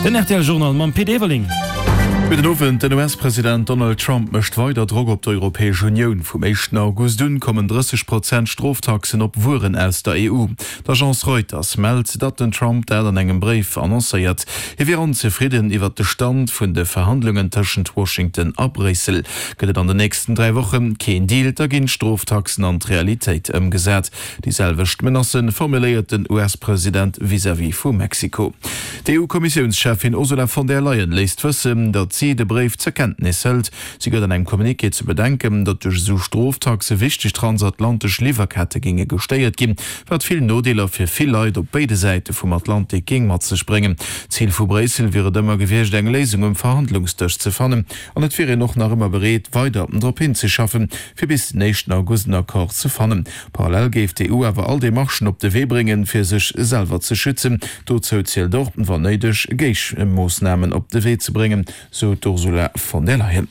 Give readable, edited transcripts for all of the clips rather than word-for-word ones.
Den rtl Journal mam Pit Everling. Gudden Owend. Den US-President Donald Trump mécht weider Drock op d'Europäesch Unioun. Vum éischten August un kommen 30 Prozent Stroftaxen op Wueren aus der EU. D'Agence Reuters mellt, datt den Trump dat an engem Bréif annoncéiert. Hie wier onzefridden iwwert de Stand vun de Verhandlungen tëschent Washington a Bréissel. Gëtt et an den nächsten 3 Woche keen Deal, da ginn d'Stroftaxen an d'Realitéit ëmgesat. Déi selwecht Menacë formuléiert den US-President vis-à-vis vu Mexiko. D'EU-Kommissiounscheffin Ursula von der Leyen léisst wëssen, datt si de Bréif zur Kenntnis hëlt. Si gëtt an engem Communiqué ze bedenken, datt duerch esou Stroftaxe wichteg transatlantesch Liwwerkette géinge gestéiert ginn, wat vill Nodeeler fir vill Leit op béide Säite vum Atlantik géing mat sech bréngen. D'Zil vu Bréissel wier et ëmmer gewiescht, eng Léisung um Verhandlungsdësch ze fannen. An et wier een och nach ëmmer bereet, weider drop hinzeschaffen, fir bis den éischten August en Accord ze fannen. Parallel géif d'EU awer all Demarchen op de Wee bréngen, fir sech selwer ze schützen. Dozou zielt och, wann néideg, Géigemoossnamen op de Wee ze bréngen, sou d'Ursula von der Leyen.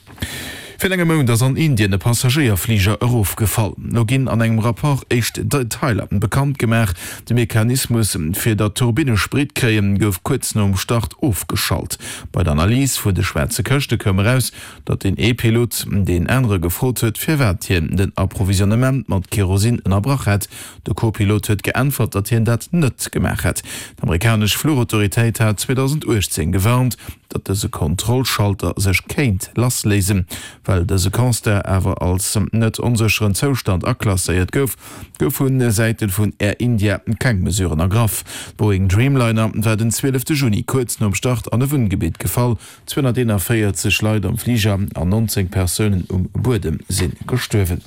Virun engem Mount ass an Indien e Passagéierfliger erofgefall. Lo ginn an engem Rapport éischt Detailer bekannt gemaach. De Mechanismus, fir datt d'Turbinne Sprit kréien, gouf kuerz nom Start ofgeschalt. Bei der Analys vun de schwaarze Këschte koum eraus, datt deen ee Pilot deen anere gefrot huet, firwat hien den Approvisionnement mat Kerosin ënnerbrach hätt. De Co-Pilot huet geäntwert, datt hien dat net gemaach hätt. D'amerikanesch Fluchautoritéit hat 2018 gewarnt, datt dëse Kontrollschalter sech kéint lassléisen. Well dëse Constat awer als net onsécheren Zoustand aklasséiert gouf, gouf vu Säite vun Air India keng Mesuren ergraff. D'Boeing Dreamliner war den 12 Juni kuerz nom Start an e Wunngebitt gefall. 241 Leit am Fliger an 19 Persounen um Buedem si gestuerwen.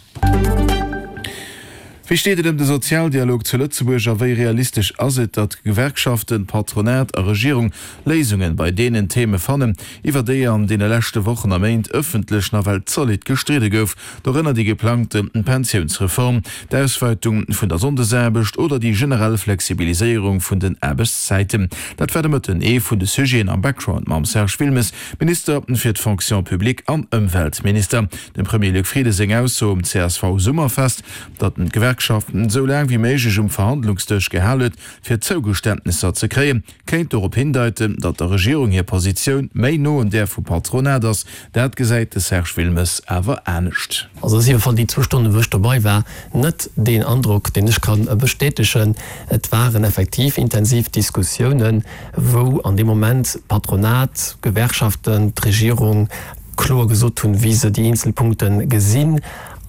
Wéi steet et ëm de Sozialdialog zu Lëtzebuerg a wéi realistesch ass et, datt Gewerkschaften, Patronat a Regierung Léisungen bei deenen Theme fannen, iwwer déi an deene leschte Wochen a Méint ëffentlech nawell zolidd gestridde gouf, dorënner déi geplangte Pensiounsreform, d'Auswäitung vun der Sonndesaarbecht oder déi generell Flexibiliséierung vun den Aarbechtszäiten? Dat war de Mëtten ee vun de Sujeten am Background mam Serge Wilmes, Minister fir d'Fonction publique an Ëmweltminister. Dem Premier Luc Frieden seng Ausso um CSV-Summerfest, datt en d'Gewerkschaften esou laang wéi méiglech um Verhandlungsdësch gehal huet, fir Zougeständnesser ze kréien, kéint dorop hindeiten, datt der Regierung hir Positioun méi no un där vum Patronat ass. Dat gesäit de Serge Wilmes awer anescht. Also ass jiddwer Fall déi zwou Stonnen, wou ech dobei war, net deen Androck, deen ech ka bestätegen. Et waren effektiv intensiv Diskussiounen, wou an deem Moment d'Patronat, d'Gewerkschaften, d'Regierung kloer gesot hunn, wéi se déi eenzel Punkte gesinn.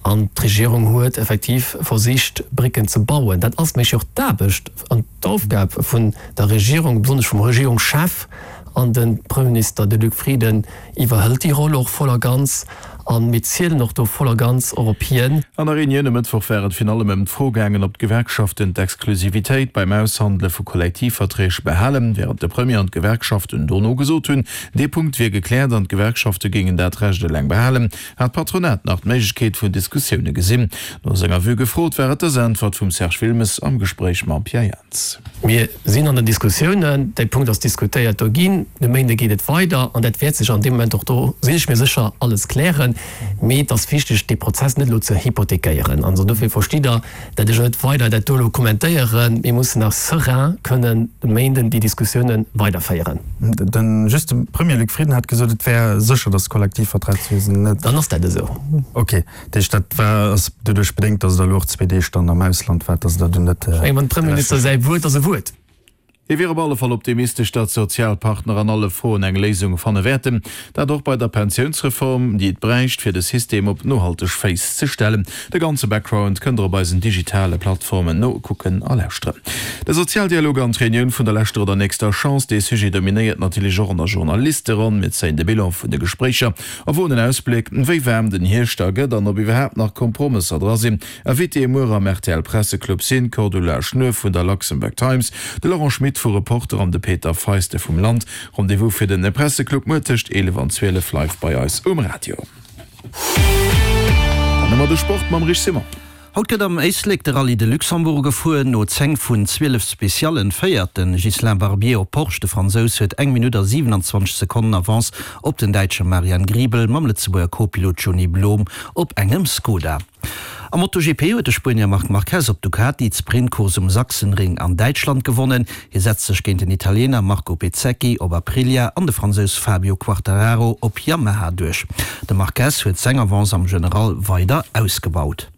An d'Regierung huet effektiv versicht, Brécken ze bauen. Dat ass méch jo och d'Aarbecht an d'Aufgab vun der Regierung, besonnesch vum Regierungschef. An de Premierminister, de Luc Frieden, iwwerhëlt déi Roll och voll a ganz. A mir zielen och do voll a ganz och op hien. An der Reunioun e Mëttwoch war et virun allem ëm d'Fro gaangen, ob d'Gewerkschaften d'Exklusivitéit beim Aushandele vu Kollektivverträg behalen, wärend de Premier an d'Gewerkschaften dono gesot hunn, dee Punkt wier gekläert an d'Gewerkschafte géingen dat Recht eleng behalen. Hat d'Patronat nach d'Méiglechkeet vun Diskussioune gesinn? No senger Vue gefrot, war et dës Äntwert vum Serge Wilmes am Gespréich mam Pierre Jans. Mir sinn an den Diskussiounen, dee Punkt ass diskutéiert do ginn. De Méinde geet et weider an dat wäert sech an deem Moment och do, sinn ech mir sécher, alles klären. Mee et ass wichteg, dee Prozess net elo ze hypothekéieren. Also dofir verstitt Der, dat ech net weider dat do elo kommentéieren. Mir mussen nach serein kënnen de Méinden déi Diskussiounen weiderféieren. Den, just de Premier Luc Frieden hat gesot, et wär sécher, datt d'Kollektivvertragswiesen net. Dann ass dat esou. Ok, dat heescht, dat war, ass doduerch bedéngt, datt Der elo och zwee Deeg dann am Ausland waart, datt Der do net. Ech mengen, dem Premierminister säi Wuert ass e Wuert. Hie wier op alle Fall optimistesch, datt d'Sozialpartner an alle Froen eng Léisung fanne wäerten. Dat och bei der Pensiounsreform, déi et bräicht, fir de System op nohalteg Féiss ze stellen. De ganze Background kënnt der op eisen digitale Plattformen nokucken a lauschteren. De Sozialdialog an d'Reunioun vun der leschter oder nächster Chance, dee Sujet dominéiert natierlech och an der Journalisteronn. Mir zéien de Bilan vun de Gespréicher a woen en Ausbléck, wéi waarm den Hierscht da gëtt an ob iwwerhaapt nach Kompromësser dra sinn. Invitéë muer am rtl Presseclub sinn d'Cordula Schnuer vun der Luxembourg Times, de Laurent Schmit vu Reporter an de Peter Feiste vum Land. Rendez-vous fir den Presseclub muer tëscht 11 an 12 live bei eis um Radio. Dann hu mer de Sport mam Rich Simon. Haut gëtt am Éislek de Rallye de Luxembourg gefuer. No 10 vun 12 Speciallen féiert de Ghislain Barbier op Porsche. De Fransous huet eng Minutt a 27 Sekonnen Avance op den Däitsche Marian Griebel mam Lëtzebuerger Co-Pilot Johny Blom op engem Skoda. Am MotoGP huet de Spuenier Marc Marquez op Ducati d'Sprintcourse um Sachsenring an Däitschland gewonnen. Hie setzt sech géint den Italiener Marco Bezzecchi op Aprilia an de Fransous Fabio Quartararo op Yamaha duerch. De Marquez huet seng Avance am General weider ausgebaut.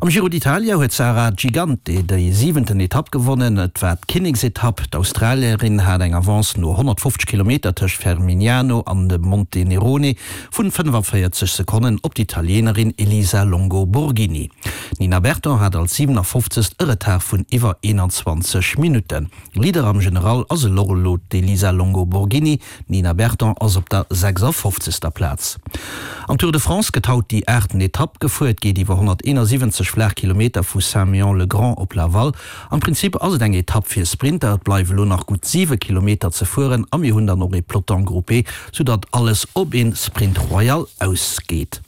Am Giro d'Italia huet d'Sarah Gigante déi siwenten Etapp gewonnen. Et war d'Kinneksetapp. D'Australierin hat eng Avance no 150 Kilometer tëscht Fermignano an dem Monte Nerone vun 45 Sekonnen op d'Italienerin Elisa Longo Borghini. D'Nina Berton hat als 57. e Retard vun iwwer 21 Minutten. Leader am General ass elo elo d'Elisa Longo Borghini. D'Nina Berton ass op der 56. Plaz. Am Tour de France gëtt haut déi aachten Etapp gefuer. Et geet iwwer 171 flaach Kilometer vu Saint-Méan-le-Grand op Laval. Am Prinzip ass et eng Etapp fir Sprinter. Et bleiwe lo nach gutt 7 Kilometer ze fueren a mir hunn dann och ee Peloton groupé, soudatt alles op ee Sprint royal ausgeet.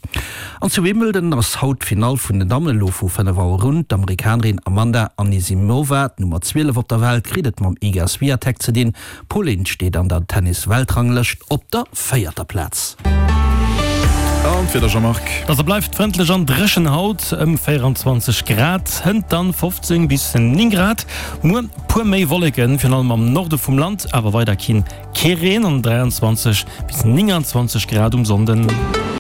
An zu Wimbledon ass haut d'Finall vun den Dammen, elo vu 5 Auer un. D'Amerikanerin Amanda Anisimova, d'Nummer 12 op der Welt, kritt et mam Iga Swiatek ze dinn. D'Polin steet an der Tennis-Weltranglëscht op der véierter Plaz. An d'Wieder, Jean-Marc? Dass et bleift frëndlech an dréchen haut, ëm 24 Grad, hënt dann 15 bis 9 Grad. Muer puer méi Wolleken, virun allem am Norde vum Land, awer weider keen kee Reen an 23 bis 29 Grad um Sonnden.